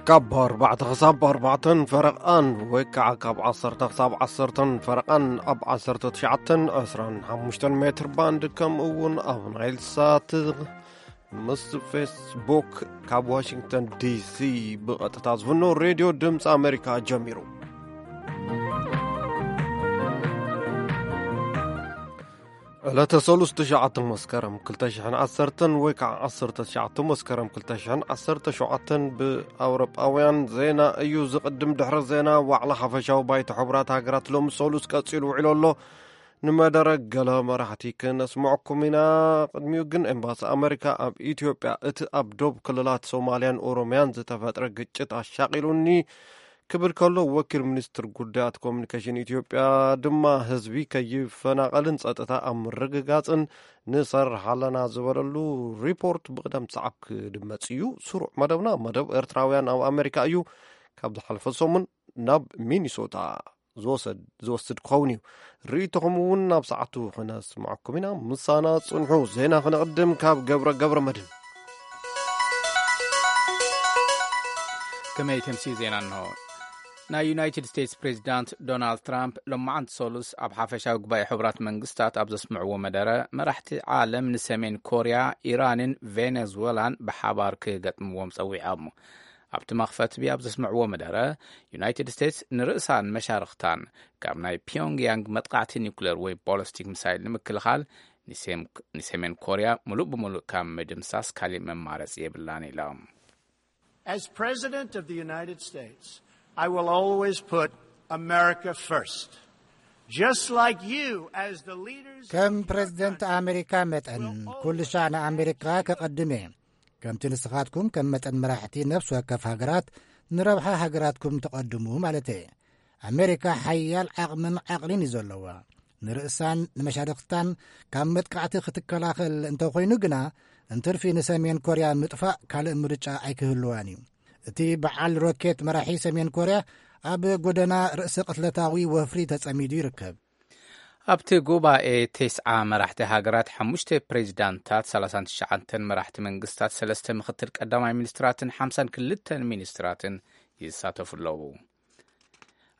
ካብ ኣርባዕተ ክሳብ ኣርባዕተን ፈረቓን ወይ ከዓ ካብ ዓሰርተ ክሳብ ዓሰርተን ፈረቓን ኣብ ዓሰርተ ትሽዓተን ዕስራን ሓሙሽተን ሜትር ባንድ፣ ከምኡ እውን ኣብ ናይል ሳት ምስ ፌስቡክ ካብ ዋሽንግተን ዲሲ ብቐጥታ ዝፍኖ ሬድዮ ድምፂ ኣሜሪካ ጀሚሩ። ዕለተ ሰሉስ ትሽዓተ መስከረም ክልተ ሽሕን ዓሰርተን ወይ ከዓ ዓሰርተ ትሽዓተ መስከረም ክልተ ሽሕን ዓሰርተ ሸውዓተን ብኣውሮጳውያን ዜና እዩ ዝቕድም። ድሕሪ ዜና ዋዕላ ሓፈሻዊ ባይቶ ሕቡራት ሃገራት ሎሚ ሰሉስ ቀጺሉ ውዒሉ ኣሎ። ንመደረ ገለ መራሕቲ ክነስምዐኩም ኢና። ቅድሚኡ ግን ኤምባሲ ኣሜሪካ ኣብ ኢትዮጵያ እቲ ኣብ ዶብ ክልላት ሶማልያን ኦሮምያን ዝተፈጥረ ግጭት ኣሻቒሉኒ ክብል ከሎ፣ ወኪል ሚኒስትር ጉዳያት ኮሚኒኬሽን ኢትዮጵያ ድማ ህዝቢ ከይፈናቐልን ጸጥታ ኣብ ምርግጋጽን ንሰርሕ ኣለና ዝበለሉ ሪፖርት ብቕደም ሰዓብ ክድመጽ እዩ። ስሩዕ መደብና መደብ ኤርትራውያን ኣብ ኣሜሪካ እዩ። ካብ ዝሓለፈ ሰሙን ናብ ሚኒሶታ ዝወሰድ-፣ ዝወስድ ክኸውን እዩ። ርእይቶኹም እውን ናብ ሰዓቱ ክነስምዓኩም ኢና። ምሳና ጽንሑ። ዜና ክነቕድም ካብ ገብረ፣ ገብረ መድህን። ከመይ ተምሲ ዜና እንሆ። ናይ ዩናይትድ ስቴትስ ፕሬዚዳንት ዶናልድ ትራምፕ ሎማዓንቲ ሰሉስ ኣብ ሓፈሻዊ ጉባኤ ሕቡራት መንግስታት ኣብ ዘስምዕዎ መደረ፣ መራሕቲ ዓለም ንሰሜን ኮርያ፣ ኢራንን ቬኔዙዌላን ብሓባር ክገጥምዎም ጸዊዖም። ኣብቲ መኽፈትቢ ኣብ ዘስምዕዎ መደረ፣ ዩናይትድ ስቴትስ ንርእሳን መሻርኽታን ካብ ናይ ፒዮንግያንግ መጥቃዕቲ ኒውክሌር ወይ ቦለስቲክ ሚሳይል ንምክልኻል፣ ንሴም-፣ ንሰሜን ኮርያ ሙሉእ ብሙሉእ ካብ ምድምሳስ ካሊእ መማረፂ የብላን ኢሎም። As President of the United States, I will always put America first. Just like you, as the leaders ከም ፕሬዝደንት ኣሜሪካ መጠን ኩሉ ሻዕ ንኣሜሪካ ከቐድም እየ። ከምቲ ንስኻትኩም ከም መጠን መራሕቲ ነፍሲ ወከፍ ሃገራት ንረብሓ ሃገራትኩም ተቐድሙ ማለት እየ። ኣሜሪካ ሓያል ዓቕምን ዓቕሊን እዩ ዘለዋ። ንርእሳን ንመሻርኽታን ካብ መጥቃዕቲ ክትከላኸል እንተኾይኑ ግና፣ እንትርፊ ንሰሜን ኮርያ ምጥፋእ ካልእ ምርጫ ኣይክህልዋን እዩ። እቲ በዓል ሮኬት መራሒ ሰሜን ኮርያ ኣብ ጎደና ርእሰ ቅትለታዊ ወፍሪ ተጸሚዱ ይርከብ። ኣብቲ ጉባኤ ተስዓ መራሕቲ ሃገራት፣ ሓሙሽተ ፕሬዚዳንታት፣ ሰላሳን ትሽዓተን መራሕቲ መንግስታት፣ ሰለስተ ምክትል ቀዳማይ ሚኒስትራትን ሓምሳን ክልተን ሚኒስትራትን ይሳተፉ ኣለዉ።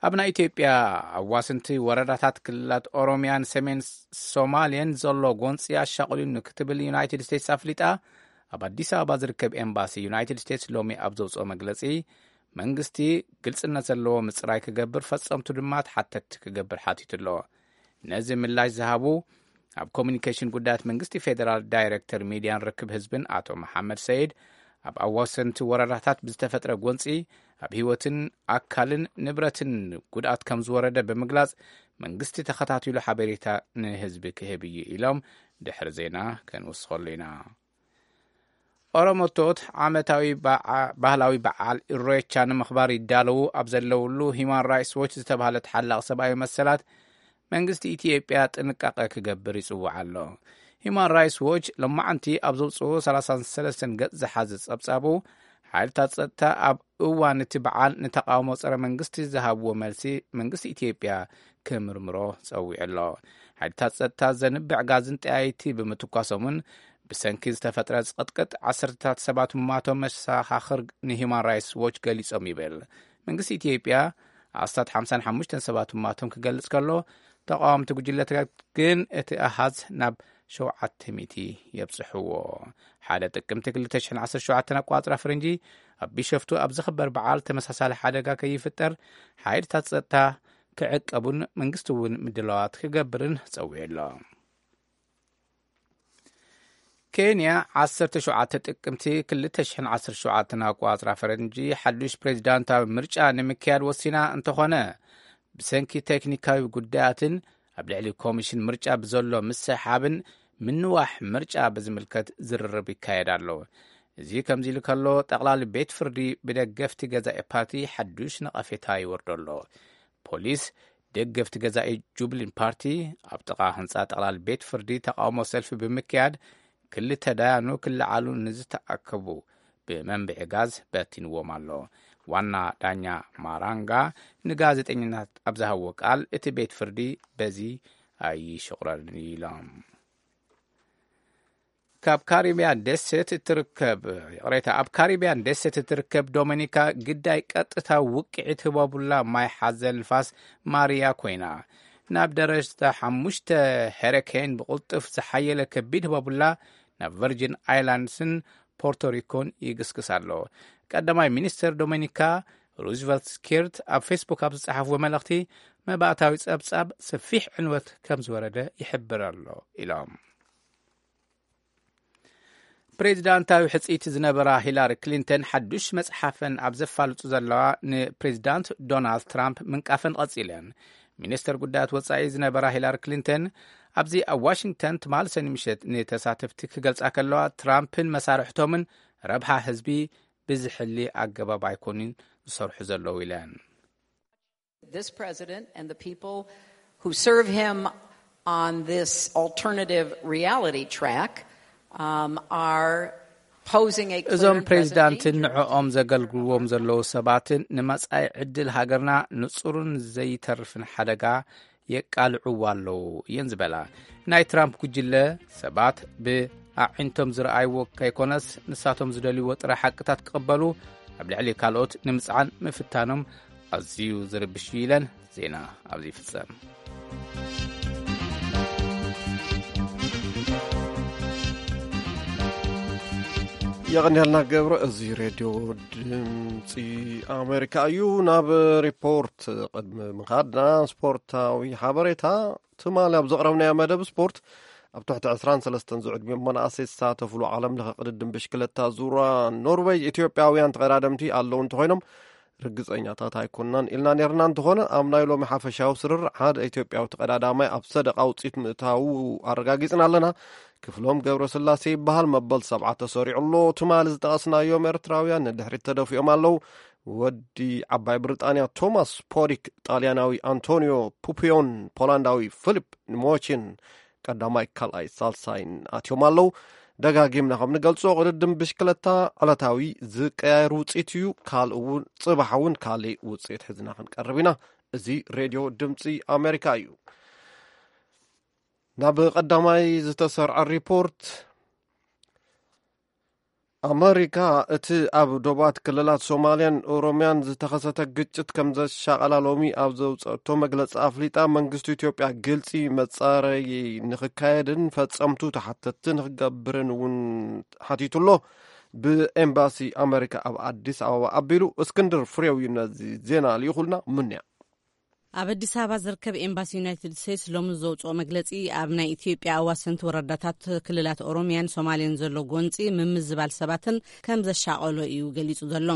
ኣብ ናይ ኢትዮጵያ ኣዋስንቲ ወረዳታት ክልላት ኦሮሚያን ሰሜን ሶማልያን ዘሎ ጎንፂ ኣሻቑሉኒ ክትብል ዩናይትድ ስቴትስ ኣፍሊጣ። ኣብ ኣዲስ ኣበባ ዝርከብ ኤምባሲ ዩናይትድ ስቴትስ ሎሚ ኣብ ዘውፅኦ መግለፂ፣ መንግስቲ ግልፅነት ዘለዎ ምፅራይ ክገብር፣ ፈፀምቱ ድማ ተሓተትቲ ክገብር ሓቲቱ ኣሎ። ነዚ ምላሽ ዝሃቡ ኣብ ኮሚኒኬሽን ጉዳያት መንግስቲ ፌዴራል ዳይሬክተር ሚድያን ርክብ ህዝብን ኣቶ መሓመድ ሰይድ፣ ኣብ ኣዋሰንቲ ወረዳታት ብዝተፈጥረ ጎንፂ ኣብ ህይወትን ኣካልን ንብረትን ጉድኣት ከም ዝወረደ ብምግላጽ፣ መንግስቲ ተኸታቲሉ ሓበሬታ ንህዝቢ ክህብ እዩ ኢሎም። ድሕሪ ዜና ከንውስኸሉ ኢና። ኦሮሞቶት ዓመታዊ በዓ-፣ ባህላዊ በዓል ኢሬቻ ንምኽባር ይዳለዉ ኣብ ዘለውሉ፣ ሂማን ራይትስ ዎች ዝተባህለ ተሓላቒ ሰብኣዊ መሰላት መንግስቲ ኢትዮጵያ ጥንቃቐ ክገብር ይጽውዕ ኣሎ። ሂማን ራይትስ ዎች ሎማዓንቲ ኣብ ዘውጽኦ ሰላሳን ሰለስተን ገጽ ዝሓዘ ጸብጻቡ፣ ሓይልታት ጸጥታ ኣብ እዋን እቲ በዓል ንተቓውሞ ጸረ መንግስቲ ዝሃብዎ መልሲ መንግስቲ ኢትዮጵያ ክምርምሮ ጸዊዑ ኣሎ። ሓይልታት ጸጥታ ዘንብዕ ጋዝን ጠያይቲ ብምትኳሶምን ብሰንኪ ዝተፈጥረ ዝቕጥቅጥ ዓሰርተታት ሰባት ምማቶም መሰኻኽር ንሂማን ራይትስ ዎች ገሊጾም ይብል። መንግስቲ ኢትዮጵያ ኣስታት ሓምሳን ሓሙሽተን ሰባት ምማቶም ክገልጽ ከሎ፣ ተቓወምቲ ጉጅለታት ግን እቲ ኣሃዝ ናብ ሸውዓተ ሚእቲ የብጽሕዎ። ሓደ ጥቅምቲ ክልተ ሽሕን ዓሰርተ ሸውዓተን ኣቋጽራ ፈረንጂ ኣብ ቢሸፍቱ ኣብ ዝኽበር በዓል ተመሳሳሊ ሓደጋ ከይፍጠር ሓይልታት ጸጥታ ክዕቀቡን መንግስቲ እውን ምድላዋት ክገብርን ጸዊዑ ኣሎ። ኬንያ ዓሰርተ ሸውዓተ ጥቅምቲ ክልተ ሽሕን ዓሰርተ ሸውዓተን ኣቋጽራ ፈረንጂ ሓዱሽ ፕሬዚዳንታዊ ምርጫ ንምክያድ ወሲና እንተኾነ፣ ብሰንኪ ቴክኒካዊ ጉዳያትን ኣብ ልዕሊ ኮሚሽን ምርጫ ብዘሎ ምስሕሓብን ምንዋሕ ምርጫ ብዝምልከት ዝርርብ ይካየድ ኣሎ። እዚ ከምዚ ኢሉ ከሎ፣ ጠቕላሊ ቤት ፍርዲ ብደገፍቲ ገዛኢ ፓርቲ ሓዱሽ ነቐፌታ ይወርዶ ኣሎ። ፖሊስ ደገፍቲ ገዛኢ ጁብሊን ፓርቲ ኣብ ጥቓ ህንጻ ጠቕላሊ ቤት ፍርዲ ተቓውሞ ሰልፊ ብምክያድ፣ ክልተ ዳያኑ ክለዓሉ ንዝተኣከቡ ብመንብዒ ጋዝ በቲንዎም ኣሎ። ዋና ዳኛ ማራንጋ ንጋዜጠኛታት ኣብ ዝሃብዎ ቃል፣ እቲ ቤት ፍርዲ በዚ ኣይሽቑረርን ኢሎም። ካብ ካሪብያን ደሴት እትርከብ ይቕሬታ ኣብ ካሪብያን ደሴት እትርከብ ዶሚኒካ ግዳይ ቀጥታ ውቅዒት ህቦቡላ ማይ ሓዘል ንፋስ ማርያ ኮይና፣ ናብ ደረጃ ሓሙሽተ ሄሪኬን ብቕልጡፍ ዝሓየለ ከቢድ ህቦቡላ ናብ ቨርጂን ኣይላንድስን ፖርቶሪኮን ይግስግስ ኣሎ። ቀዳማይ ሚኒስተር ዶሚኒካ ሩዝቨልት ስኪርት ኣብ ፌስቡክ ኣብ ዝጸሓፍዎ መልእኽቲ፣ መባእታዊ ጸብጻብ ሰፊሕ ዕንወት ከም ዝወረደ ይሕብር ኣሎ ኢሎም። ፕሬዚዳንታዊ ሕጽይቲ ዝነበራ ሂላሪ ክሊንተን ሓዱሽ መጽሓፈን ኣብ ዘፋልጡ ዘለዋ፣ ንፕሬዚዳንት ዶናልድ ትራምፕ ምንቃፈን ቀጺለን። ሚኒስተር ጉዳያት ወጻኢ ዝነበራ ሂላሪ ክሊንተን ኣብዚ ኣብ ዋሽንግተን ትማል ሰኒ ምሸት ንተሳተፍቲ ክገልጻ ከለዋ፣ ትራምፕን መሳርሕቶምን ረብሓ ህዝቢ ብዝሕሊ ኣገባብ ኣይኮኑን ዝሰርሑ ዘለዉ ኢለን። This president and the people who serve him on this alternative reality track um, are posing a clear እዞም threat of ፕሬዚዳንትን danger. ንዕኦም ዘገልግልዎም ዘለዉ ሰባትን ንመጻኢ ዕድል ሃገርና ንጹርን ዘይተርፍን ሓደጋ የቃልዕዎ ኣለዉ እየን ዝበላ። ናይ ትራምፕ ጉጅለ ሰባት ብኣዒንቶም ዝረኣይዎ ከይኮነስ ንሳቶም ዝደልይዎ ጥረ ሓቅታት ክቕበሉ ኣብ ልዕሊ ካልኦት ንምጽዓን ምፍታኖም ኣዝዩ ዝርብሽ እዩ ኢለን። ዜና ኣብዚ ይፍጸም። የቐንያልና ገብረ። እዚ ሬድዮ ድምፂ ኣሜሪካ እዩ። ናብ ሪፖርት ቅድሚ ምኻድና ስፖርታዊ ሓበሬታ። ትማሊ ኣብ ዘቕረብናዮ መደብ ስፖርት ኣብ ትሕቲ ዕስራን ሰለስተን ዝዕድሚኦም መናእሰይ ዝሳተፍሉ ዓለም ለኸ ቅድድም ብሽክለታ ዙራ ኖርዌይ ኢትዮጵያውያን ተቐዳደምቲ ኣለዉ እንተኾይኖም ርግፀኛታት ኣይኮንናን ኢልና ነርና። እንተኾነ ኣብ ናይ ሎሚ ሓፈሻዊ ስርር ሓደ ኢትዮጵያዊ ተቐዳዳማይ ኣብ ሰደቓ ውፅኢት ምእታዉ ኣረጋጊፅና ኣለና። ክፍሎም ገብረስላሴ ይበሃል። መበል ሰብዓ ተሰሪዑ ኣሎ። ትማሊ ዝጠቐስናዮም ኤርትራውያን ንድሕሪት ተደፊኦም ኣለዉ። ወዲ ዓባይ ብሪጣንያ ቶማስ ፖሪክ፣ ጣልያናዊ ኣንቶኒዮ ፑፒዮን፣ ፖላንዳዊ ፊሊፕ ሞቺን ቀዳማይ፣ ካልኣይ፣ ሳልሳይን ኣትዮም ኣለዉ። ደጋጊምና ከም ንገልጾ ቅድድም ብሽክለታ ዕለታዊ ዝቀያየር ውፅኢት እዩ። ካልእ እውን፣ ፅባሕ እውን ካልእ ውፅኢት ሒዝና ክንቀርብ ኢና። እዚ ሬድዮ ድምፂ ኣሜሪካ እዩ። ናብ ቀዳማይ ዝተሰርዐ ሪፖርት። ኣመሪካ እቲ ኣብ ዶባት ክልላት ሶማልያን ኦሮምያን ዝተኸሰተ ግጭት ከም ዘሻቐላ ሎሚ ኣብ ዘውፀእቶ መግለፂ ኣፍሊጣ፣ መንግስቲ ኢትዮጵያ ግልፂ መፃረዪ ንክካየድን ፈፀምቱ ተሓተትቲ ንክገብርን እውን ሓቲቱ ኣሎ። ብኤምባሲ ኣመሪካ ኣብ ኣዲስ ኣበባ ኣቢሉ እስክንድር ፍሬው እዩ ነዚ ዜና ልኢኹልና። ምንያ ኣብ ኣዲስ ኣበባ ዝርከብ ኤምባሲ ዩናይትድ ስቴትስ ሎሚ ዘውፅኦ መግለፂ፣ ኣብ ናይ ኢትዮጵያ ኣዋሰንቲ ወረዳታት ክልላት ኦሮምያን ሶማሌን ዘሎ ጎንፂ ምምዝባል ሰባትን ከም ዘሻቐሎ እዩ ገሊፁ ዘሎ።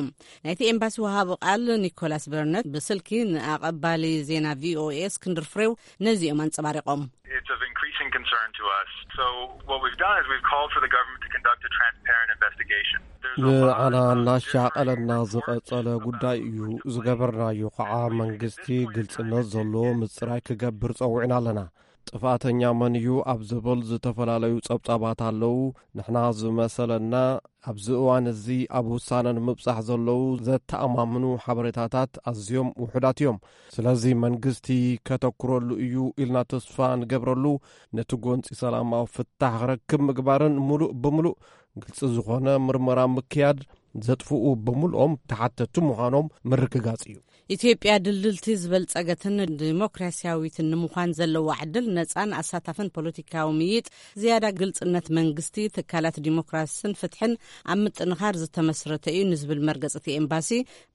ናይቲ ኤምባሲ ወሃቢ ቃል ኒኮላስ በርነት ብስልኪ ንኣቐባሊ ዜና ቪኦኤ እስክንድር ፍሬው ነዚኦም ኣንፀባሪቖም። It's of increasing concern to us. So what we've done is we've called for the government to conduct a transparent investigation. There's a lot ንዓና of እናሻቐለና ዝቐጸለ ጉዳይ እዩ። ዝገበርናዮ ከዓ መንግስቲ ግልጽነት ዘለዎ ምጽራይ ክገብር ጸዊዕና ኣለና። ጥፋተኛ መን እዩ ኣብ ዝብል ዝተፈላለዩ ጸብጻባት ኣለዉ። ንሕና ዝመሰለና ኣብዚ እዋን እዚ ኣብ ውሳነ ንምብጻሕ ዘለዉ ዘተኣማምኑ ሓበሬታታት ኣዝዮም ውሑዳት እዮም። ስለዚ መንግስቲ ከተኩረሉ እዩ ኢልና ተስፋ ንገብረሉ፣ ነቲ ጎንጺ ሰላማዊ ፍታሕ ክረክብ ምግባርን ምሉእ ብምሉእ ግልጺ ዝኾነ ምርመራ ምክያድ፣ ዘጥፍኡ ብምልኦም ተሓተቲ ምዃኖም ምርግጋጽ እዩ። ኢትዮጵያ ድልድልቲ ዝበልጸገትን ዲሞክራሲያዊትን ንምዃን ዘለዋ ዕድል፣ ነጻን ኣሳታፍን ፖለቲካዊ ምይጥ፣ ዝያዳ ግልጽነት መንግስቲ፣ ትካላት ዲሞክራስን ፍትሕን ኣብ ምጥንኻር ዝተመስረተ እዩ ንዝብል መርገጽ እቲ ኤምባሲ፣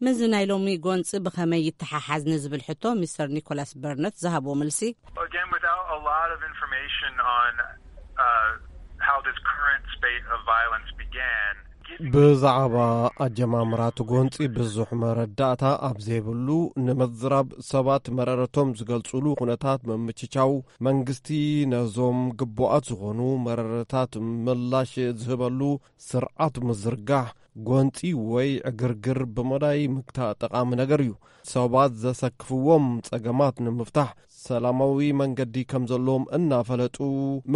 ምስዚ ናይ ሎሚ ጎንጺ ብኸመይ ይተሓሓዝ ንዝብል ሕቶ ሚስተር ኒኮላስ በርነት ዝሃብዎ መልሲ። Again, without a lot of information on uh, how this current spate of violence began, ብዛዕባ ኣጀማምራ እቲ ጎንጺ ብዙሕ መረዳእታ ኣብ ዘይብሉ፣ ንምዝራብ ሰባት መረረቶም ዝገልጹሉ ኩነታት ምምችቻው፣ መንግስቲ ነዞም ግቡኣት ዝኾኑ መረረታት ምላሽ ዝህበሉ ስርዓት ምዝርጋሕ፣ ጎንጺ ወይ ዕግርግር ብመዳይ ምግታእ ጠቓሚ ነገር እዩ። ሰባት ዘሰክፍዎም ጸገማት ንምፍታሕ ሰላማዊ መንገዲ ከም ዘለዎም እናፈለጡ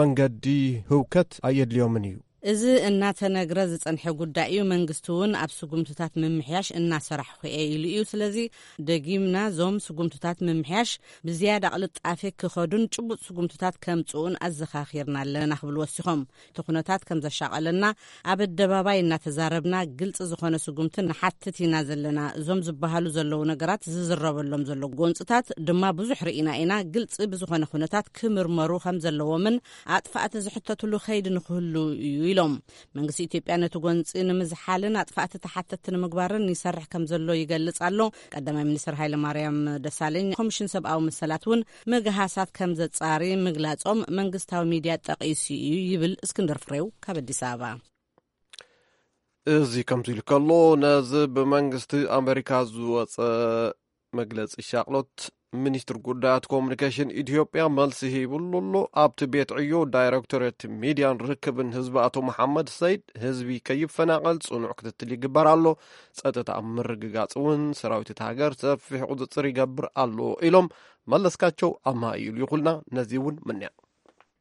መንገዲ ህውከት ኣየድልዮምን እዩ። እዚ እናተነግረ ዝጸንሐ ጉዳይ እዩ። መንግስቲ እውን ኣብ ስጉምትታት ምምሕያሽ እናሰራሕኹ እየ ኢሉ እዩ። ስለዚ ደጊምና እዞም ስጉምትታት ምምሕያሽ ብዝያዳ ቅልጣፌ ክኸዱን ጭቡጥ ስጉምትታት ከምጽኡን ኣዘኻኺርና ኣለና ክብሉ ወሲኾም። እቲ ኩነታት ከም ዘሻቐለና ኣብ ኣደባባይ እናተዛረብና ግልጺ ዝኾነ ስጉምቲ ንሓትት ኢና ዘለና። እዞም ዝበሃሉ ዘለዉ ነገራት ዝዝረበሎም ዘሎ ጎንጽታት ድማ ብዙሕ ርኢና ኢና። ግልጺ ብዝኾነ ኩነታት ክምርመሩ ከም ዘለዎምን ኣጥፋእቲ ዝሕተትሉ ከይዲ ንክህሉ እዩ ኢሎም። መንግስቲ ኢትዮጵያ ነቲ ጎንጺ ንምዝሓልን ኣጥፋእቲ ተሓተትቲ ንምግባርን ይሰርሕ ከም ዘሎ ይገልጽ ኣሎ። ቀዳማይ ሚኒስትር ሃይለ ማርያም ደሳለኝ ኮሚሽን ሰብኣዊ መሰላት እውን ምግሃሳት ከም ዘጻሪ ምግላጾም መንግስታዊ ሚድያ ጠቒሱ እዩ ይብል እስክንድር ፍሬው ካብ ኣዲስ ኣበባ። እዚ ከምዚ ኢሉ ከሎ፣ ነዚ ብመንግስቲ ኣሜሪካ ዝወፀ መግለፂ ሻቕሎት፣ ሚኒስትር ጉዳያት ኮሙኒኬሽን ኢትዮጵያ መልሲ ሂብሉ ኣሎ። ኣብቲ ቤት ዕዮ ዳይሬክቶሬት ሚድያን ርክብን ህዝቢ ኣቶ መሓመድ ሰይድ፣ ህዝቢ ከይፈናቐል ፅኑዕ ክትትል ይግበር ኣሎ፣ ፀጥታ ኣብ ምርግጋፅ እውን ሰራዊት እታ ሃገር ሰፊሕ ቁፅፅር ይገብር ኣሎ ኢሎም። መለስካቸው ኣማሃ እዩ ልኩልና። ነዚ እውን ምንያ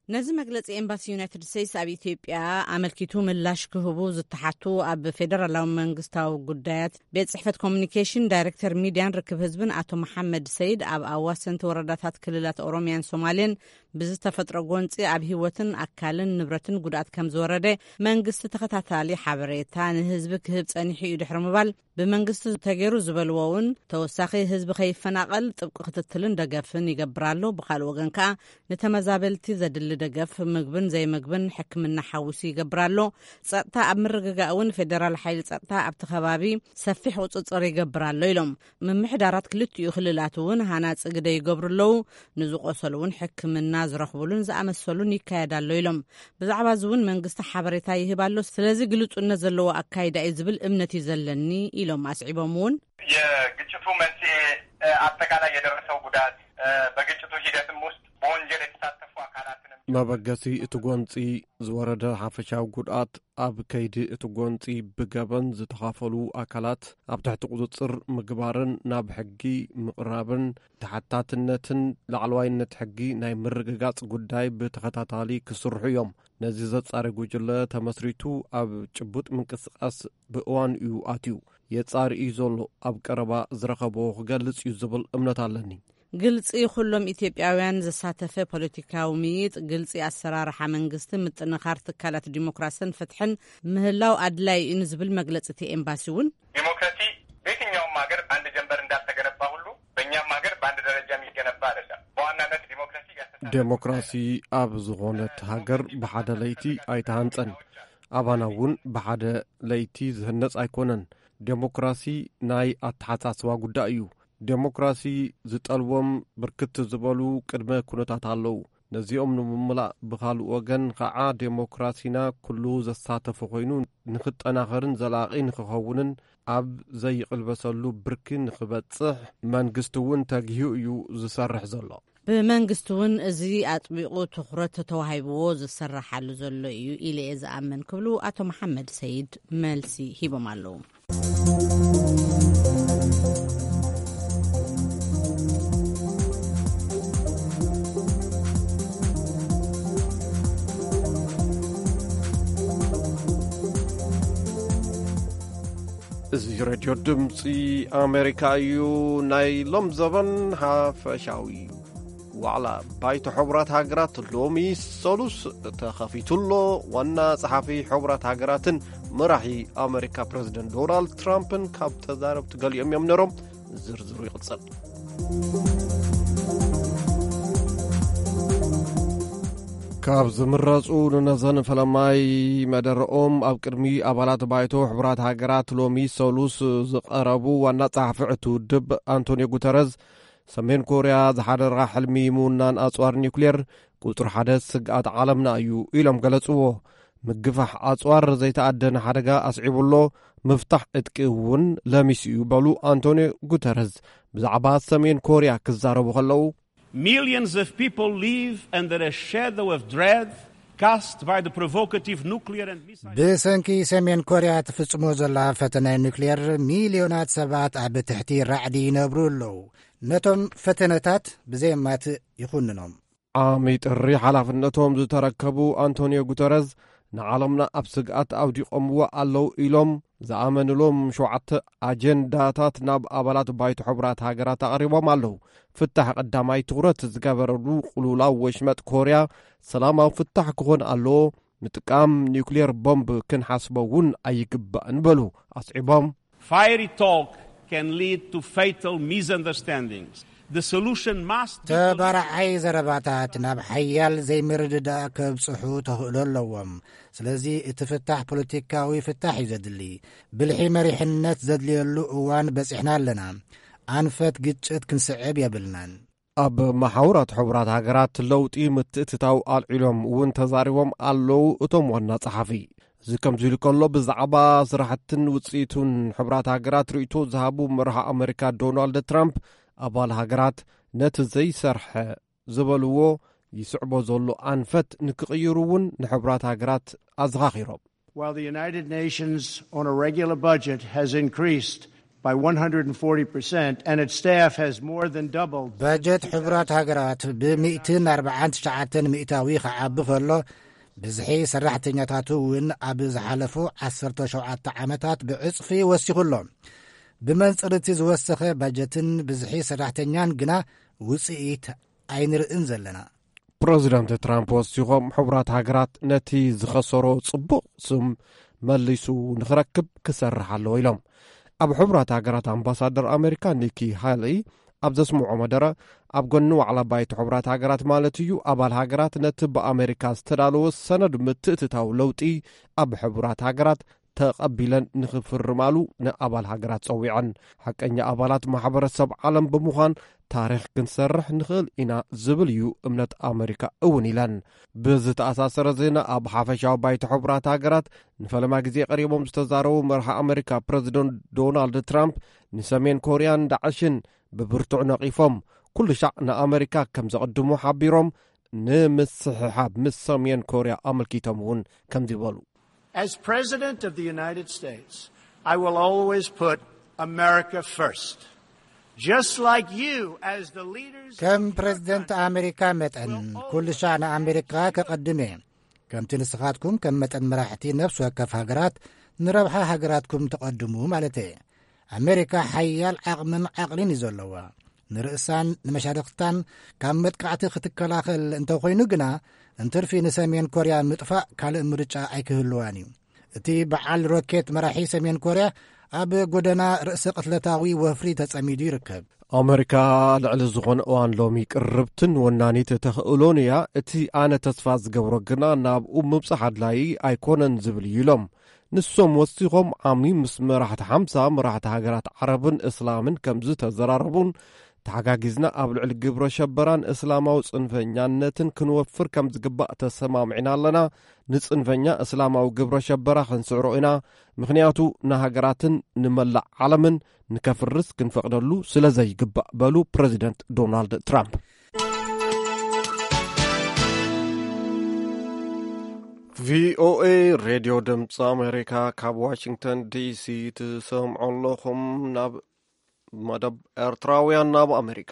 ነዚ መግለጺ ኤምባሲ ዩናይትድ ስቴትስ ኣብ ኢትዮጵያ ኣመልኪቱ ምላሽ ክህቡ ዝተሓቱ ኣብ ፌደራላዊ መንግስታዊ ጉዳያት ቤት ጽሕፈት ኮሚኒኬሽን ዳይሬክተር ሚድያን ርክብ ህዝብን ኣቶ መሓመድ ሰይድ፣ ኣብ ኣዋሰንቲ ወረዳታት ክልላት ኦሮሚያን ሶማሌን ብዝተፈጥሮ ጎንጺ ኣብ ህይወትን ኣካልን ንብረትን ጉድኣት ከም ዝወረደ መንግስቲ ተኸታታሊ ሓበሬታ ንህዝቢ ክህብ ጸኒሑ እዩ ድሕሪ ምባል፣ ብመንግስቲ ተገይሩ ዝበልዎ እውን ተወሳኺ ህዝቢ ከይፈናቐል ጥብቂ ክትትልን ደገፍን ይገብር ኣሎ። ብኻልእ ወገን ከኣ ንተመዛበልቲ ዘድሊ ደገፍ ምግብን ዘይምግብን ሕክምና ሓዊሱ ይገብር ኣሎ። ጸጥታ ኣብ ምርግጋእ እውን ፌደራል ሓይሊ ጸጥታ ኣብቲ ከባቢ ሰፊሕ ቁጽጽር ይገብር ኣሎ ኢሎም። ምምሕዳራት ክልቲኡ ክልላት እውን ሃናጺ ግደ ይገብሩ ኣለዉ። ንዝቆሰሉ እውን ሕክምና ዝረኽቡሉን ዝኣመሰሉን ይካየድ ኣሎ ኢሎም። ብዛዕባ እዚ እውን መንግስቲ ሓበሬታ ይህብ ኣሎ። ስለዚ ግልጹነት ዘለዎ ኣካይዳ እዩ ዝብል እምነት እዩ ዘለኒ ኢሎም። ኣስዒቦም እውን የግጭቱ መንስኤ፣ አጠቃላይ የደረሰው ጉዳት፣ በግጭቱ ሂደትም ውስጥ በወንጀል የተሳተፉ አካላትንም መበገሲ እቲ ጎንፂ ዝወረደ ሓፈሻዊ ጉድኣት፣ ኣብ ከይዲ እቲ ጎንፂ ብገበን ዝተኻፈሉ ኣካላት ኣብ ትሕቲ ቁፅፅር ምግባርን ናብ ሕጊ ምቕራብን ተሓታትነትን ላዕለዋይነት ሕጊ ናይ ምርግጋፅ ጉዳይ ብተኸታታሊ ክስርሑ እዮም። ነዚ ዘፃሪ ጉጅለ ተመስሪቱ ኣብ ጭቡጥ ምንቅስቃስ ብእዋን እዩ ኣትዩ። የፃሪ እዩ ዘሎ። ኣብ ቀረባ ዝረኸቦ ክገልፅ እዩ ዝብል እምነት ኣለኒ። ግልጺ፣ ኩሎም ኢትዮጵያውያን ዘሳተፈ ፖለቲካዊ ምይጥ፣ ግልጺ ኣሰራርሓ መንግስቲ፣ ምጥንኻር ትካላት ዲሞክራስን ፍትሕን ምህላው ኣድላይ እዩ ንዝብል መግለጺ እቲ ኤምባሲ እውን ዲሞክራሲ በየትኛውም ሀገር በአንድ ጀንበር እንዳልተገነባ ሁሉ በእኛም ሀገር በአንድ ደረጃ የሚገነባ አይደለም። በዋናነት ዲሞክራሲ ያስተሳሰር ዴሞክራሲ ኣብ ዝኾነት ሃገር ብሓደ ለይቲ ኣይተሃንጸን። ኣባና እውን ብሓደ ለይቲ ዝህነጽ ኣይኮነን። ዴሞክራሲ ናይ ኣተሓሳስባ ጉዳይ እዩ። ዴሞክራሲ ዝጠልቦም ብርክት ዝበሉ ቅድመ ኩነታት ኣለዉ። ነዚኦም ንምምላእ ብኻልእ ወገን ኸዓ ዴሞክራሲና ኩሉ ዘሳተፈ ኮይኑ ንኽጠናኸርን ዘላቒ ንኽኸውንን ኣብ ዘይቕልበሰሉ ብርኪ ንኽበጽሕ መንግስቲ እውን ተግሂዩ እዩ ዝሰርሕ ዘሎ። ብመንግስቲ እውን እዚ ኣጥቢቑ ትኹረት ተዋሂብዎ ዝሰራሓሉ ዘሎ እዩ ኢለ እየ ዝኣምን ክብሉ ኣቶ መሓመድ ሰይድ መልሲ ሂቦም ኣለዉ። እዚ ሬድዮ ድምፂ ኣሜሪካ እዩ። ናይ ሎም ዘበን ሓፈሻዊ ዋዕላ ባይቶ ሕቡራት ሃገራት ሎሚ ሰሉስ ተኸፊቱ ኣሎ። ዋና ጸሓፊ ሕቡራት ሃገራትን መራሒ ኣሜሪካ ፕረዚደንት ዶናልድ ትራምፕን ካብ ተዛረብቲ ገሊኦም እዮም ነሮም። ዝርዝሩ ይቕጽል። ካብ ዝምረጹ ንነዘን ፈለማይ መደረኦም ኣብ ቅድሚ ኣባላት ባይቶ ሕቡራት ሃገራት ሎሚ ሰሉስ ዝቐረቡ ዋና ጸሓፊ እቲ ውድብ ኣንቶኒዮ ጉተረዝ፣ ሰሜን ኮርያ ዝሓደራ ሕልሚ ምውናን ኣጽዋር ኒውክሌር ቁጽሪ ሓደ ስግኣት ዓለምና እዩ ኢሎም ገለጽዎ። ምግፋሕ ኣጽዋር ዘይተኣደነ ሓደጋ ኣስዒቡ ኣሎ፣ ምፍታሕ ዕጥቂ እውን ለሚሱ እዩ በሉ ኣንቶኒዮ ጉተረዝ ብዛዕባ ሰሜን ኮርያ ክዛረቡ ከለዉ። Millions of people live under a shadow of dread cast by the provocative nuclear and missile. ብሰንኪ ሰሜን ኮርያ ትፍጽሞ ዘላ ፈተነ ኒውክሌር ሚልዮናት ሰባት ኣብ ትሕቲ ራዕዲ ይነብሩ ኣለዉ። ነቶም ፈተነታት ብዘየማትእ ይኹንኖም። ዓሚ ጥሪ ሓላፍነቶም ዝተረከቡ ኣንቶኒዮ ጉተረዝ ንዓለምና ኣብ ስግኣት ኣውዲቖምዎ ኣለዉ ኢሎም ዝኣመንሎም ሸውዓተ ኣጀንዳታት ናብ ኣባላት ባይቶ ሕቡራት ሃገራት ኣቕሪቦም ኣለዉ። ፍታሕ ቀዳማይ ትኹረት ዝገበረሉ ቅልውላው ወሽመጥ ኮርያ ሰላማዊ ፍታሕ ክኾን ኣለዎ። ምጥቃም ኒውክሌር ቦምብ ክንሓስቦ እውን ኣይግባእን በሉ ኣስዒቦም። Fiery talk can lead to fatal misunderstandings. The solution must be ተባራዓይ ዘረባታት ናብ ሓያል ዘይምርድዳእ ከብጽሑ ተኽእሎ ኣለዎም። ስለዚ እቲ ፍታሕ ፖለቲካዊ ፍታሕ እዩ ዘድሊ። ብልሒ መሪሕነት ዘድልየሉ እዋን በጺሕና ኣለና። ኣንፈት ግጭት ክንስዕብ የብልናን። ኣብ መሓውራት ሕቡራት ሃገራት ለውጢ ምትእትታው ኣልዒሎም እውን ተዛሪቦም ኣለዉ እቶም ዋና ጸሓፊ። እዚ ከምዚ ኢሉ ከሎ፣ ብዛዕባ ስራሕትን ውጽኢቱን ሕቡራት ሃገራት ርእይቶ ዝሃቡ መራሒ ኣመሪካ ዶናልድ ትራምፕ፣ ኣባል ሃገራት ነቲ ዘይሰርሐ ዝበልዎ ይስዕቦ ዘሎ ኣንፈት ንክቕይሩ እውን ንሕቡራት ሃገራት ኣዘኻኺሮም። While the United Nations on a regular budget has increased by one hundred forty percent and its staff has more than doubled በጀት ሕቡራት ሃገራት ብ ሚእትን ኣርባዓን ትሽዓተን ሚእታዊ ክዓቢ ከሎ፣ ብዝሒ ሰራሕተኛታቱ እውን ኣብ ዝሓለፉ ዓሰርተ ሸውዓተ ዓመታት ብዕጽፊ ወሲኹ ኣሎ። ብመንጽር እቲ ዝወሰኸ ባጀትን ብዝሒ ሰራሕተኛን ግና ውጽኢት ኣይንርእን ዘለና። ፕረዚደንት ትራምፕ ወሲኾም፣ ሕቡራት ሃገራት ነቲ ዝኸሰሮ ጽቡቕ ስም መሊሱ ንኽረክብ ክሰርሕ ኣለዎ ኢሎም። ኣብ ሕቡራት ሃገራት ኣምባሳደር ኣሜሪካ ኒኪ ሃሊ ኣብ ዘስምዖ መደረ፣ ኣብ ጎኒ ዋዕላ ባይቶ ሕቡራት ሃገራት ማለት እዩ፣ ኣባል ሃገራት ነቲ ብኣሜሪካ ዝተዳለወ ሰነድ ምትእትታው ለውጢ ኣብ ሕቡራት ሃገራት ተቐቢለን ንኽፍርማሉ ንኣባል ሃገራት ጸዊዐን። ሓቀኛ ኣባላት ማሕበረሰብ ዓለም ብምዃን ታሪኽ ክንሰርሕ ንኽእል ኢና ዝብል እዩ እምነት ኣመሪካ እውን ኢለን። ብዝተኣሳሰረ ዜና፣ ኣብ ሓፈሻዊ ባይቶ ሕቡራት ሃገራት ንፈለማ ግዜ ቀሪቦም ዝተዛረቡ መርሒ ኣመሪካ ፕረዚደንት ዶናልድ ትራምፕ ንሰሜን ኮርያን ዳዕሽን ብብርቱዕ ነቒፎም፣ ኩሉ ሻዕ ንኣመሪካ ከም ዘቐድሙ ሓቢሮም፣ ንምስሕሓብ ምስ ሰሜን ኮርያ ኣመልኪቶም እውን ከምዚ በሉ። As President of the United States, I will always put America first. Just like you, as the leaders ከም ፕረዚደንት ኣሜሪካ መጠን ኩሉ ሻዕ ንኣሜሪካ ከቐድም እየ። ከምቲ ንስኻትኩም ከም መጠን መራሕቲ ነፍሲ ወከፍ ሃገራት ንረብሓ ሃገራትኩም ተቐድሙ ማለት እየ። ኣሜሪካ ሓያል ዓቕምን ዓቕሊን እዩ ዘለዋ። ንርእሳን ንመሻርኽታን ካብ መጥቃዕቲ ክትከላኸል እንተኾይኑ ግና፣ እንትርፊ ንሰሜን ኮርያ ምጥፋእ ካልእ ምርጫ ኣይክህልዋን እዩ። እቲ በዓል ሮኬት መራሒ ሰሜን ኮርያ ኣብ ጎደና ርእሰ ቅትለታዊ ወፍሪ ተጸሚዱ ይርከብ። ኣመሪካ ልዕሊ ዝኾነ እዋን ሎሚ ቅርብትን ወናኒት ተኽእሎን እያ። እቲ ኣነ ተስፋ ዝገብሮ ግና ናብኡ ምብጻሕ ኣድላዪ ኣይኮነን ዝብል እዩ ኢሎም። ንሶም ወሲኾም፣ ዓሚ ምስ መራሕቲ ሓምሳ መራሕቲ ሃገራት ዓረብን እስላምን ከም ዝተዘራረቡን፣ ተሓጋጊዝና ኣብ ልዕሊ ግብረ ሸበራን እስላማዊ ጽንፈኛነትን ክንወፍር ከም ዝግባእ ተሰማሚዕና ኣለና። ንጽንፈኛ እስላማዊ ግብረ ሸበራ ክንስዕሮ ኢና፣ ምኽንያቱ ንሃገራትን ንመላእ ዓለምን ንከፍርስ ክንፈቕደሉ ስለ ዘይግባእ በሉ ፕረዚደንት ዶናልድ ትራምፕ። ቪኦኤ ሬድዮ ድምፂ ኣሜሪካ ካብ ዋሽንግተን ዲሲ ትሰምዑ ኣለኹም። ናብ መደብ ኤርትራውያን ናብ ኣሜሪካ።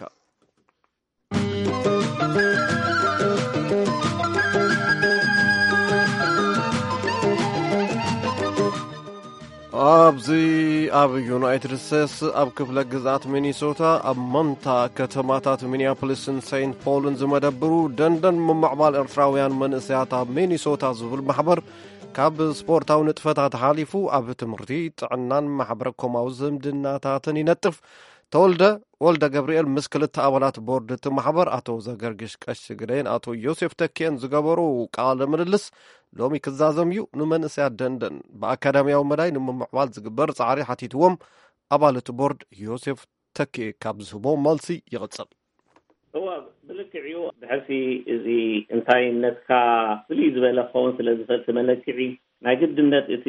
ኣብዚ ኣብ ዩናይትድ ስቴትስ ኣብ ክፍለ ግዝኣት ሚኒሶታ ኣብ መንታ ከተማታት ሚኒያፖሊስን ሴንት ፖልን ዝመደብሩ ደንደን ምምዕባል ኤርትራውያን መንእሰያት ኣብ ሚኒሶታ ዝብል ማሕበር ካብ ስፖርታዊ ንጥፈታት ሓሊፉ ኣብ ትምህርቲ፣ ጥዕናን ማሕበረ ኮማዊ ዝምድናታትን ይነጥፍ። ተወልደ ወልደ ገብርኤል ምስ ክልተ ኣባላት ቦርድ እቲ ማሕበር ኣቶ ዘገርግሽ ቀሺ ግደይን ኣቶ ዮሴፍ ተኪኤን ዝገበሩ ቃለ ምልልስ ሎሚ ክዛዘም እዩ። ንመንእሰያት ደንደን ብኣካዳሚያዊ መዳይ ንምምዕባል ዝግበር ጻዕሪ ሓቲትዎም ኣባል እቲ ቦርድ ዮሴፍ ተኪኤ ካብ ዝህቦ መልሲ ይቕጽል። እወ፣ ብልክዕ እዩ። ድሕርሲ እዚ እንታይነትካ ፍልይ ዝበለ ክኸውን ስለ ዝኽእል እቲ መለክዒ፣ ናይ ግድነት እቲ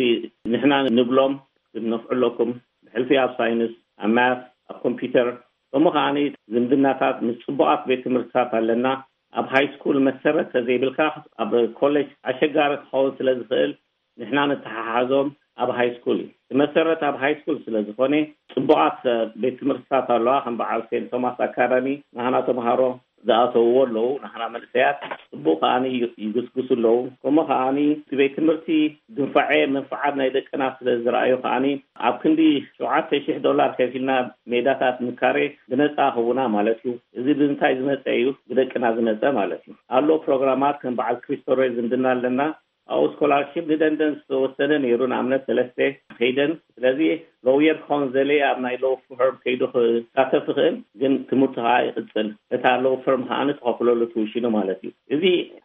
ንሕና ንብሎም፣ ክትነፍዑ ኣለኩም። ብሕልፊ ኣብ ሳይንስ፣ ኣብ ማት፣ ኣብ ኮምፒውተር፣ ከምኡ ከዓኒ ዝምድናታት ምስ ጽቡቓት ቤት ትምህርትታት ኣለና። ኣብ ሃይ ስኩል መሰረት ተዘይብልካ ኣብ ኮሌጅ ኣሸጋሪ ክኸውን ስለ ዝኽእል፣ ንሕና ንተሓሓዞም ኣብ ሃይ ስኩል እዩ። እቲ መሰረት ኣብ ሃይ ስኩል ስለ ዝኾነ፣ ጽቡቓት ቤት ትምህርትታት ኣለዋ፣ ከም በዓል ሴንት ቶማስ ኣካዳሚ፣ ናህና ተምሃሮ ዝኣተውዎ ኣለዉ። ናህና መንእሰያት ጽቡቕ ከዓኒ ይግስግሱ ኣለዉ። ከምኡ ከዓኒ እቲ ቤት ትምህርቲ ድንፋዐ መንፍዓት ናይ ደቅና ስለ ዝረኣዩ ከዓኒ ኣብ ክንዲ ሸውዓተ ሽሕ ዶላር ከፊልና ሜዳታት ምካሬ ብነጻ ክህቡና ማለት እዩ። እዚ ብምንታይ ዝመጸ እዩ? ብደቅና ዝመጸ ማለት እዩ። ኣሎ ፕሮግራማት ከም በዓል ክሪስቶሬ ዝምድና ኣለና። ኣብኡ ስኮላርሺፕ ንደንደን ዝተወሰነ ነይሩ። ንኣብነት ሰለስተ ከይደን። ስለዚ ሎየር ክኸውን ዘለ ኣብ ናይ ሎው ፈርም ከይዱ ክሳተፍ ይኽእል፣ ግን ትምህርቱ ከዓ ይቕጽል። እታ ሎው ፈርም ከዓ ንትኸፍለሉ ትውሽኑ ማለት እዩ። እዚ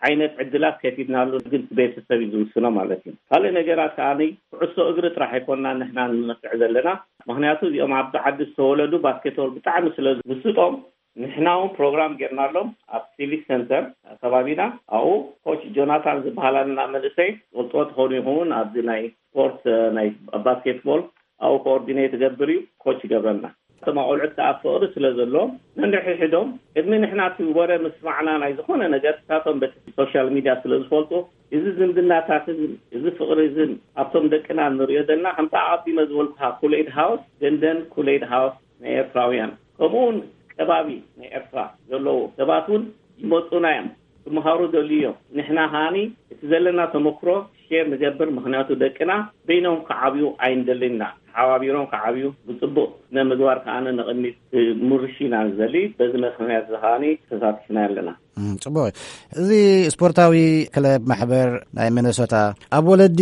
ዓይነት ዕድላት ከፊትናሉ፣ ግን እቲ ቤተሰብ እዩ ዝውስኖ ማለት እዩ። ካልእ ነገራት ከዓ ኩዕሶ እግሪ ጥራሕ ኣይኮንና ንሕና ንመክዕ ዘለና። ምክንያቱ እዚኦም ኣብዚ ዓዲ ዝተወለዱ ባስኬትቦል ብጣዕሚ ስለ ዝምስጦም፣ ንሕና እውን ፕሮግራም ጌርናሎም ኣብ ሲቪክ ሰንተር ከባቢና። ኣብኡ ኮች ጆናታን ዝበሃል ኣለና መንእሰይ፣ ትፈልጥዎ ትኾኑ ይኸውን። ኣብዚ ናይ ስፖርት፣ ናይ ባስኬትቦል ኣብኡ ኮኦርዲኔት ይገብር እዩ፣ ኮች ይገብረና። እቶም ኣቆልዑት ከዓ ፍቕሪ ስለ ዘለዎም ነንሕድሕዶም ቅድሚ ንሕና እቲ ወረ ምስማዕና ናይ ዝኾነ ነገር ንሳቶም በቲ ሶሻል ሚድያ ስለ ዝፈልጡ፣ እዚ ዝምድናታትን እዚ ፍቕሪ እዝን ኣብቶም ደቅና ንሪኦ ዘለና ከምታ ኣቐዲመ ዝበልኩኻ ኩሌድ ሃውስ፣ ደንደን ኩሌድ ሃውስ ናይ ኤርትራውያን፣ ከምኡ እውን ከባቢ ናይ ኤርትራ ዘለዉ ሰባት እውን ይመፁና እዮም፣ ክመሃሩ ደልዩ እዮም። ንሕና ከዓኒ እቲ ዘለና ተመክሮ ሼር ንገብር፣ ምክንያቱ ደቅና በይኖም ክዓብዩ ኣይንደልን ኢና። ተሓባቢሮም ክዓብዩ፣ ብፅቡቕ ስነ ምግባር ከዓኒ ንቕድሚት ክምርሹ ኢና ንደሊ። በዚ ምክንያት እዚ ከዓኒ ተሳቲፍና ኣለና። እም፣ ጽቡቕ። እዚ ስፖርታዊ ክለብ ማሕበር ናይ ሚነሶታ ኣብ ወለዲ፣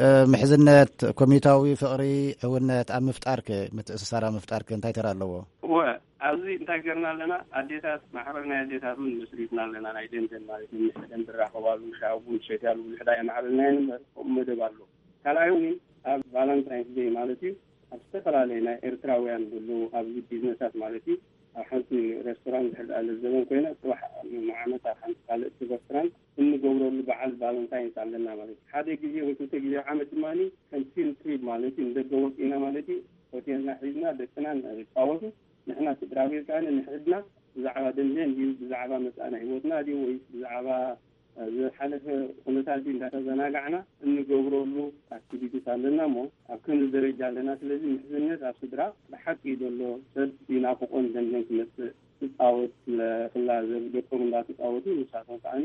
እ፣ ምሕዝነት፣ ኮሚታዊ ፍቕሪ፣ ሕውነት ኣብ ምፍጣርክ፣ ምትእስሳር ኣብ ምፍጣርክ እንታይ ተራ ኣለዎ? እወ፣ ኣብዚ እንታይ ገርና ኣለና? ኣዴታት፣ ማሕበር ናይ ኣዴታት እውን መስሪትና ኣለና። ናይ ደንደን ማለት እዩ። ምሕደን ዝራኸባሉ፣ ሻሂ ቡን ዝሰትያሉ፣ ውሕዳ የማዕብልና እምበር፣ ከምኡ መደብ ኣሎ። ካልኣይ እውን ኣብ ቫለንታይንስ ዴይ ማለት እዩ፣ ኣብ ዝተፈላለየ ናይ ኤርትራውያን ዘለዉ ኣብዚ ቢዝነሳት ማለት እዩ፣ ኣብ ሓንቲ ሬስቶራንት ድሕር ደኣ ለዘበን ኮይና፣ ጽባሕ ንዓመት ኣብ ሓንቲ ካልእ ሬስቶራንት እንገብረሉ በዓል ቫለንታይንስ ኣለና ማለት እዩ። ሓደ ግዜ ወይ ክልተ ግዜ ኣብ ዓመት ድማ ከም ፊልድ ትሪፕ ማለት እዩ፣ ንደገ ወጺእና ማለት እዩ፣ ሆቴልና ሒዝና ደቅና ንጻወቱ፣ ንሕና ስድራ ቤት ከኣ ንሕድና ብዛዕባ ደንደን ድዩ፣ ብዛዕባ መጻእና ህይወትና ድዩ፣ ወይስ ብዛዕባ ዝሓለፈ ኩነታት እንዳተዘናጋዕና እንገብረሉ ኣክቲቪቲስ ኣለና እሞ ኣብ ክንዲ ደረጃ ኣለና። ስለዚ ምሕዝነት ኣብ ስድራ ብሓቂ እዩ ዘሎ። ሰብ ይናፍቆን ደንደን ክመጽእ ክጻወት ክላዘብ ደቆም እንዳተጻወቱ ንሳቶም ከዓኒ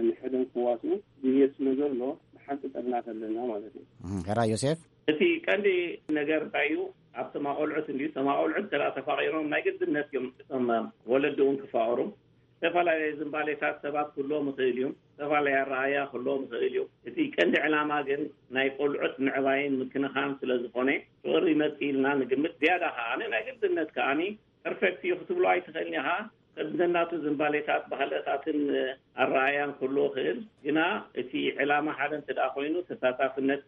ንሕዶም ክዋስኡ ድልየት ስለ ዘሎ ብሓቂ ጠብናት ኣለና ማለት እዩ። እም፣ ሕራ ዮሴፍ? እቲ ቀንዲ ነገር እንታይ እዩ? ኣብቶም ኣቆልዑት እንድዩ። እቶም ኣቆልዑት እንተ ተፋቒሮም ናይ ግድነት እዮም እቶም ወለዲ እውን ክፋቐሩ። ዝተፈላለየ ዝንባሌታት ሰባት ክህልዎም ይኽእል እዩ። ዝተፈላለየ ኣረኣእያ ክህልዎም ይኽእል እዩ። እቲ ቀንዲ ዕላማ ግን ናይ ቆልዑት ምዕባይን ምክንኻን ስለ ዝኾነ ፍቕሪ ይመጽእ ኢልና ንግምት። ዝያዳ ከኣ ናይ ግድነት ከኣ ፐርፌክት እዩ ክትብሎ ኣይትኽእልን ኢኻ። ነናቱ ዝንባሌታት፣ ባህልታትን ኣረኣእያን ክህልዎ ይኽእል። ግና እቲ ዕላማ ሓደ እንተ ደኣ ኮይኑ ተሳታፍነት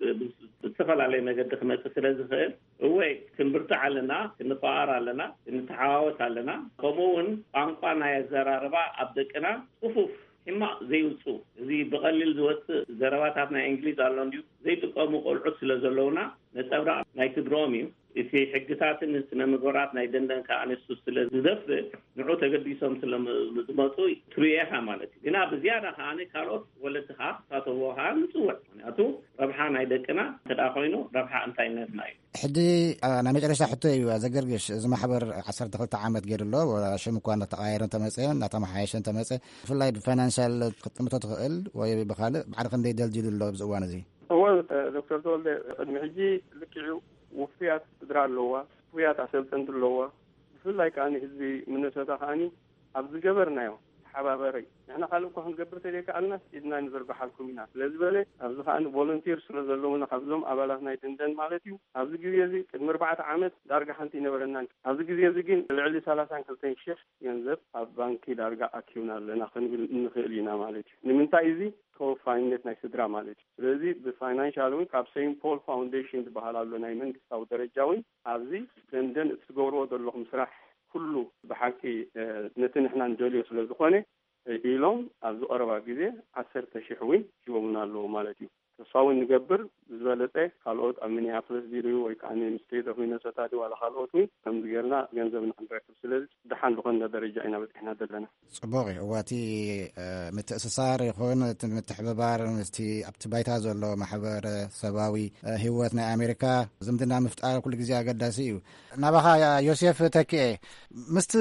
ብዝተፈላለየ መገዲ ክመጽእ ስለ ዝኽእል እወ ክንብርትዕ ኣለና፣ ክንፈኣር ኣለና፣ ክንተሓዋወስ ኣለና። ከምኡ እውን ቋንቋ ናይ ኣዘራርባ ኣብ ደቅና ጽፉፍ ሕማቕ ዘይውጽኡ፣ እዚ ብቐሊል ዝወጽእ ዘረባታት ናይ እንግሊዝ ኣሎ እንድዩ ዘይጥቀሙ ቆልዑት ስለ ዘለውና ነጸብራቕ ናይ ስድርኦም እዩ። እቲ ሕግታትን ስነ ምግባራት ናይ ደንደን ከኣ ንሱ ስለ ዝደፍእ ንዑ ተገዲሶም ስለ ዝመጹ ትርእዮ ኢኻ ማለት እዩ። ግና ብዝያዳ ከኣ ካልኦት ወለድኻ ክሳተፍዎ ከኣ ንጽውዕ። ምክንያቱ ረብሓ ናይ ደቅና እንተ ደኣ ኮይኑ ረብሓ እንታይነትና እዩ። ሕጂ፣ ኣ፣ ናይ መጨረሻ ሕቶ እዩ ዘገርግሽ። እዚ ማሕበር ዓሰርተ ክልተ ዓመት ገይሩ ኣሎ። ወላ ሽም እኳ እናተቐያየረ እንተመጸ፣ እናተመሓየሸ እንተመጸ፣ ብፍላይ ብፋይናንሻል ክትጥምቶ ትኽእል ወይ ብኻልእ ባዕልኻ ክንደይ ደልዲሉ ኣሎ ኣብዚ እዋን እዚ? እወ፣ ዶክተር ተወልደ፣ ቅድሚ ሕጂ ልክዕ እዩ፣ ውፉያት ስድራ ኣለዋ፣ ውፉያት ኣሰልጠንቲ ኣለዋ። ብፍላይ ከኣ ህዝቢ ሚነሶታ ከኣ ኣብ ዝገበርናዮ ተሓባበሪ። ንሕና ካልእ እኳ ክንገብር ተዘይከኣልናስ ኢድና ንዝርግሓልኩም ኢና ስለ ዝበለ፣ ኣብዚ ከኣ ቮለንቲር ስለ ዘለውና ካብዞም ኣባላት ናይ ደንደን ማለት እዩ፣ ኣብዚ ግዜ እዚ ቅድሚ ኣርባዕተ ዓመት ዳርጋ ሓንቲ ኣይነበረናን። ኣብዚ ግዜ እዚ ግን ልዕሊ ሰላሳን ክልተን ሽሕ ገንዘብ ኣብ ባንኪ ዳርጋ ኣኪብና ኣለና ክንብል ንኽእል ኢና ማለት እዩ። ንምንታይ? እዚ ተወፋይነት ናይ ስድራ ማለት እዩ። ስለዚ ብፋይናንሻል እውን ካብ ሴንት ፖል ፋውንዴሽን ዝበሃል ኣሎ ናይ መንግስታዊ ደረጃ እውን ኣብዚ ደንደን እቲ ትገብርዎ ዘለኹም ስራሕ ኩሉ ብሓቂ፣ እ፣ ነቲ ንሕና ንደልዮ ስለ ዝኾነ፣ እ፣ ኢሎም ኣብዚ ቀረባ ግዜ ዓሰርተ ሽሕ እውን ሂቦምና ኣለዉ ማለት እዩ። ተስፋ እውን ንገብር ዝበለጸ ካልኦት ኣብ ሚኒያፖሊስ ድዩ ወይ ከዓ ስቴት ኦፍ ሚነሶታ ድዩ ዋላ ካልኦት እውን ከምዚ ጌርና ገንዘብ ንክንረክብ። ስለዚ ሓን ዝኾነ ደረጃ ኢና በፂሕና ዘለና። ጽቡቕ እዩ። እዋቲ ምትእስሳር ይኹን እቲ ምትሕብባር ምስቲ ኣብቲ ባይታ ዘሎ ማሕበረሰባዊ ህይወት ናይ ኣሜሪካ ዝምድና ምፍጣር ኩሉ ግዜ ኣገዳሲ እዩ። ናባኻ ዮሴፍ ተኪኤ፣ ምስቲ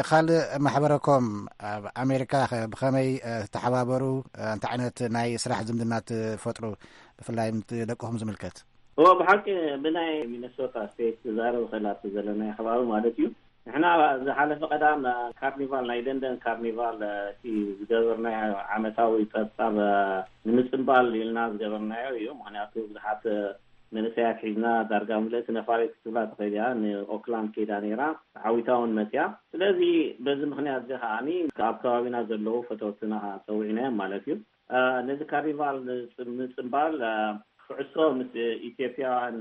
ካልእ ማሕበረኮም ኣብ ኣሜሪካ ብኸመይ ተሓባበሩ? እንታይ ዓይነት ናይ ስራሕ ዝምድና ትፈጥሩ፣ ብፍላይ ምስ ደቅኹም ዝምልከት? እዎ፣ ብሓቂ ብናይ ሚነሶታ ስቴት ክዛረብ ክእል ኣብቲ ዘለናዮ ከባቢ ማለት እዩ። ንሕና ዝሓለፈ ቀዳም ካርኒቫል፣ ናይ ደንደን ካርኒቫል፣ እቲ ዝገበርናዮ ዓመታዊ ጸብጻብ ንምጽንባል ኢልና ዝገበርናዮ እዩ። ምኽንያቱ ብዙሓት መንእሰያት ሒዝና ዳርጋ ምልእቲ ነፋሪት ክትብላ ትኽእል እያ። ንኦክላንድ ከይዳ ነይራ፣ ተዓዊታ እውን መጽያ። ስለዚ በዚ ምኽንያት እዚ ከዓኒ ኣብ ከባቢና ዘለዉ ፈተውትና ጸዊዕናዮም ማለት እዩ። ነዚ ካርኒቫል ምጽንባል ኩዕሶ ምስ ኢትዮጵያውያን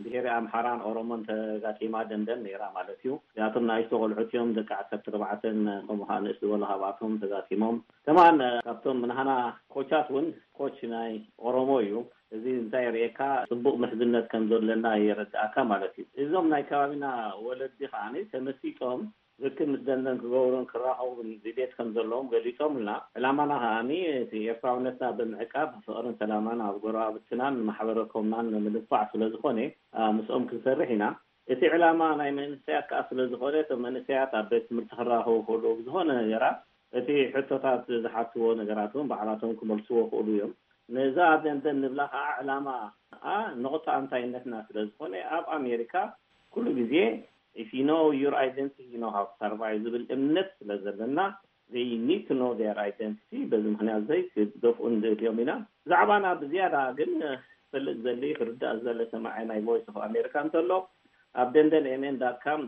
ብሄረ ኣምሓራን ኦሮሞን ተጋጢማ ደንደን ነይራ ማለት እዩ። እዚኣቶም ንኣሽቱ ቆልዑት እዮም፣ ደቂ ዓሰርተ ኣርባዕተን ከምኡ ከዓ ንእስ ዝበሉ ካብኣቶም ተጋጢሞም። ከማን ካብቶም ናህና ኮቻት እውን ኮች ናይ ኦሮሞ እዩ። እዚ እንታይ የርእየካ? ጽቡቕ ምሕዝነት ከም ዘለና የረድኣካ ማለት እዩ። እዞም ናይ ከባቢና ወለዲ ከዓ ተመሲጦም ርክብ ምስ ደንደን ክገብሩን ክራኸቡን ድሌት ከም ዘለዎም ገሊጾምልና። ዕላማና ከዓኒ እቲ ኤርትራውነትና ብምዕቃብ ፍቕርን ሰላማን ኣብ ጎረባብትናን ማሕበረኮምናን ንምድንፋዕ ስለ ዝኾነ ምስኦም ክንሰርሕ ኢና። እቲ ዕላማ ናይ መንእሰያት ከኣ ስለ ዝኾነ እቶም መንእሰያት ኣብ ቤት ትምህርቲ ክራኸቡ ክእሉ ብዝኾነ ነገራት እቲ ሕቶታት ዝሓትዎ ነገራት እውን ባዕላቶም ክመልስዎ ክእሉ እዮም። ነዛ ኣብ ደንደን ንብላ ከኣ ዕላማ ከኣ ነቑጣ ኣንታይነትና ስለ ዝኾነ ኣብ ኣሜሪካ ኩሉ ግዜ if you know your identity, you know how to survive ዝብል እምነት ስለ ዘለና they need to know their identity። በዚ ምኽንያት ዘይ ክደፍኡ ንደልዮም ኢና። ብዛዕባና ብዝያዳ ግን ክፈልጥ ዘሊ ክርዳእ ዘለ ሰማዒ ናይ ቮይስ ኦፍ ኣሜሪካ እንተሎ ኣብ ደንደን ኤምኤን ዳት ካም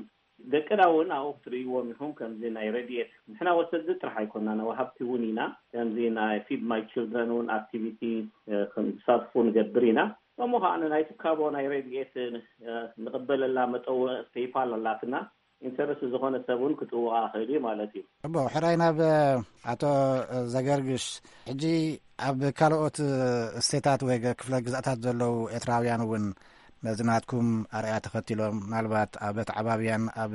ደቅና እውን ኣብኡ ክትርእይዎም ኢኹም። ከምዚ ናይ ረድኤት ንሕና ወሰድቲ ጥራሕ ኣይኮናን፣ ወሃብቲ እውን ኢና። ከምዚ ናይ ፊድ ማይ ችልድረን እውን ኣክቲቪቲ ክሳትፉ ንገብር ኢና። ከምኡ ከዓ ናይ ትካቦ ናይ ረድኤት ንቕበለላ መጠወ ፔይፓል ኣላትና። ኢንተረስት ዝኾነ ሰብ እውን ክጥውቓ ክእል እዩ ማለት እዩ። እቦ ሕራይ ናብ ኣቶ ዘገርግሽ፣ ሕጂ ኣብ ካልኦት ስቴታት ወይ ክፍለ ግዛእታት ዘለዉ ኤርትራውያን እውን ነዚ ናትኩም ኣርኣያ ተኸቲሎም ምናልባት ኣብ ኣተዓባብያን ኣብ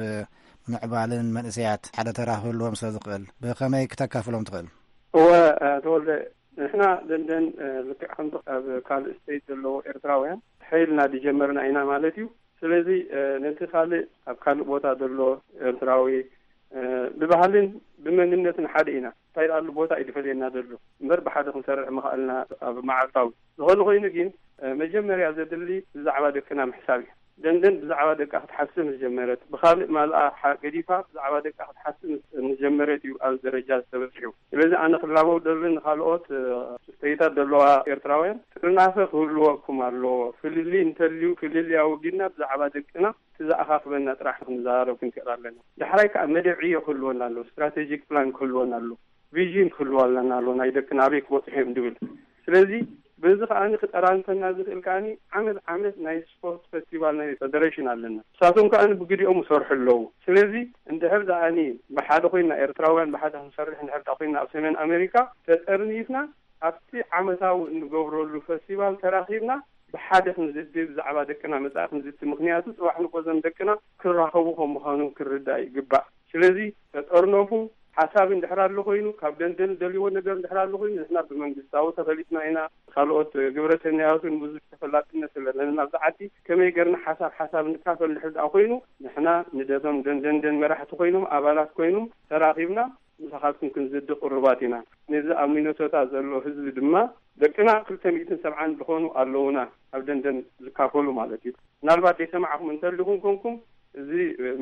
ምዕባልን መንእሰያት ሓደ ተራ ክህልዎም ስለ ዝኽእል ብኸመይ ክተካፍሎም ትኽእል? እወ፣ ተወልደ፣ ንሕና ደንደን ልክዕ ከምቲ ኣብ ካልእ ስቴት ዘለዉ ኤርትራውያን ሓይልና ድጀመርና ኢና ማለት እዩ። ስለዚ ነቲ ካልእ ኣብ ካልእ ቦታ ዘሎ ኤርትራዊ ብባህልን ብመንነትን ሓደ ኢና። እንታይ ደኣ ኣሎ ቦታ እዩ ድፈልየና ዘሎ እምበር ብሓደ ክንሰርሕ ምኽኣልና ኣብ መዓልታዊ ዝኾነ ኮይኑ ግን መጀመርያ ዘድሊ ብዛዕባ ደቅና ምሕሳብ እዩ። ደንደን ብዛዕባ ደቃ ክትሓስብ ምስ ጀመረት፣ ብኻልእ ማልኣ ሓ- ገዲፋ ብዛዕባ ደቃ ክትሓስብ ምስ- ምስ ጀመረት እዩ ኣብዚ ደረጃ ዝተበፅሑ። ስለዚ ኣነ ክላበው ደሊ ንኻልኦት እ፣ ስቴታት ዘለዋ ኤርትራውያን ጥርናፈ ክህልወኩም ኣለዎ። ፍልልይ እንተልዩ ፍልልይ ኣወጊድና ብዛዕባ ደቅና እቲ ዝኣኻኽበና ጥራሕ ክንዘራረብ ክንክእል ኣለና። ዳሕራይ ከዓ መደብ ዕዮ ክህልወና ኣለዎ፣ ስትራቴጂክ ፕላን ክህልወና ኣለዎ፣ ቪዥን ክህልወና ኣለዎ፣ ናይ ደቅና ኣበይ ክበፅሑ እዮም ድብል። ስለዚ በዚ ከዓኒ ክጠራንፈና ዝኽእል ከዓኒ ዓመት ዓመት ናይ ስፖርት ፈስቲቫል ናይ ፌደሬሽን ኣለና። ንሳቶም ከዓኒ ብግዲኦም ይሰርሑ ኣለዉ። ስለዚ እንድሕር ደኣኒ ብሓደ ኮይንና ኤርትራውያን ብሓደ ክንሰርሕ እንድሕር ደኣ ኮይንና ኣብ ሰሜን ኣሜሪካ ተጠርኒፍና ኣብቲ ዓመታዊ እንገብረሉ ፈስቲቫል ተራኺብና ብሓደ ክንዝቲ ብዛዕባ ደቅና መጻኢ ክንዝቲ። ምኽንያቱ ጽባሕ ንጎ ዘም ደቅና ክራኸቡ ከም ምዃኑ ክርዳእ ይግባእ። ስለዚ ተጠርነፉ ሓሳብ እንድሕር ኣሎ ኮይኑ ካብ ደንደን ደልዎ ነገር እንድሕር ኣሎ ኮይኑ ንሕና ብመንግስታዊ ተፈሊጥና ኢና። ካልኦት ግብረሰናያትን ብዙሕ ተፈላጥነት ኣለና ኣብዚ ዓዲ። ከመይ ገርና ሓሳብ ሓሳብ ንካፈል እንድሕር ደኣ ኮይኑ ንሕና ንደቶም ደንደንደን መራሕቲ ኮይኖም ኣባላት ኮይኖም ተራኺብና ምሳኻትኩም ክንዝዲ ቅሩባት ኢና። ነዚ ኣብ ሚነሶታ ዘሎ ህዝቢ ድማ ደቅና ክልተ ሚእትን ሰብዓን ዝኾኑ ኣለዉና ኣብ ደንደን ዝካፈሉ ማለት እዩ። ምናልባት ዘይሰማዕኹም እንተልኹም ኮንኩም እዚ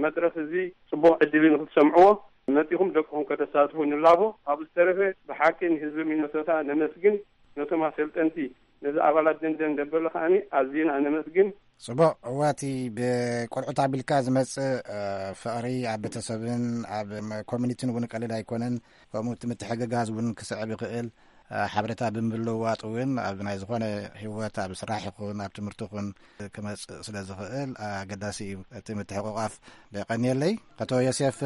መድረኽ እዚ ጽቡቕ ዕድል እዩ ንክትሰምዕዎ መጺኹም ደቅኹም ከተሳትፉ ንላቦ። ካብኡ ዝተረፈ ብሓቂ ንህዝቢ ሚነሶታ ነመስግን። ነቶም ኣሰልጠንቲ ነዚ ኣባላት ደንደን ደበሎ ከዓኒ ኣዝና ነመስግን። ጽቡቕ። እዋቲ ብቆልዑት ኣቢልካ ዝመጽእ ፍቕሪ ኣብ ቤተሰብን ኣብ ኮሚኒቲን እውን ቀሊል ኣይኮነን። ከምኡ እቲ ምትሕግጋዝ እውን ክስዕብ ይኽእል። ሓበሬታ ብምልውዋጥ እውን ኣብ ናይ ዝኾነ ህይወት ኣብ ስራሕ ይኹን ኣብ ትምህርቲ ይኹን ክመጽእ ስለ ዝኽእል ኣገዳሲ እዩ እቲ ምትሕቑቓፍ። የቐንየለይ ኣቶ ዮሴፍ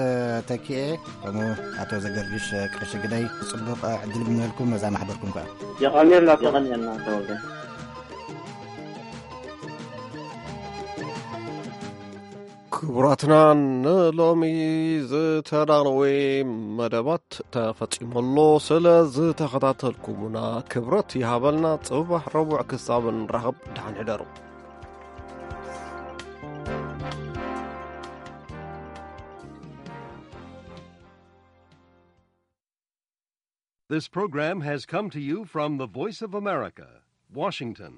ተኪኤ ከምኡ ኣቶ ዘገርግሽ ቀሺ ግደይ። ጽቡቕ ዕድል ይምነልኩም ነዛ ማሕበርኩም ከኣ። የቐንየልና። የቐንየልና ተወልደ። ክቡራትና፣ ንሎሚ ዝተዳለወ መደባት ተፈጺሙ ኣሎ። ስለ ዝተኸታተልኩሙና ክብረት ይሃበልና። ጽባሕ ረቡዕ ክሳብ ንራኸብ፣ ደሓን ሕደሩ። This program has come to you from the Voice of America, Washington.